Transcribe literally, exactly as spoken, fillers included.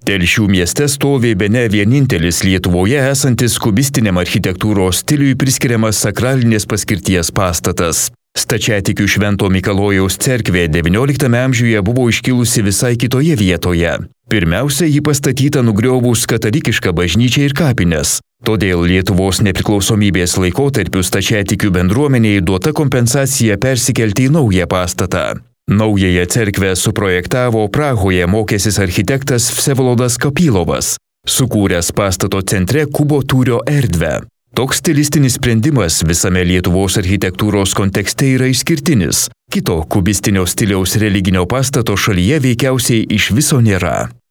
Telšių mieste stovi bene vienintelis Lietuvoje esantis kubistiniam architektūros stiliui priskiriamas sakralinės paskirties pastatas. Stačiatikių Švento Mikalojaus cerkvė devynioliktame amžiuje buvo iškilusi visai kitoje vietoje. Pirmiausia, ji pastatyta nugriovus katalikišką bažnyčią ir kapines. Todėl Lietuvos nepriklausomybės laikotarpiu stačiatikių bendruomeniai duota kompensacija persikelti į naują pastatą. Naująją cerkvę suprojektavo Prahoje mokęsis architektas Vsevolodas Kapylovas, sukūręs pastato centre kubo tūrio erdvę. Toks stilistinis sprendimas visame Lietuvos architektūros kontekste yra išskirtinis. Kito kubistinio stiliaus religinio pastato šalyje veikiausiai iš viso nėra.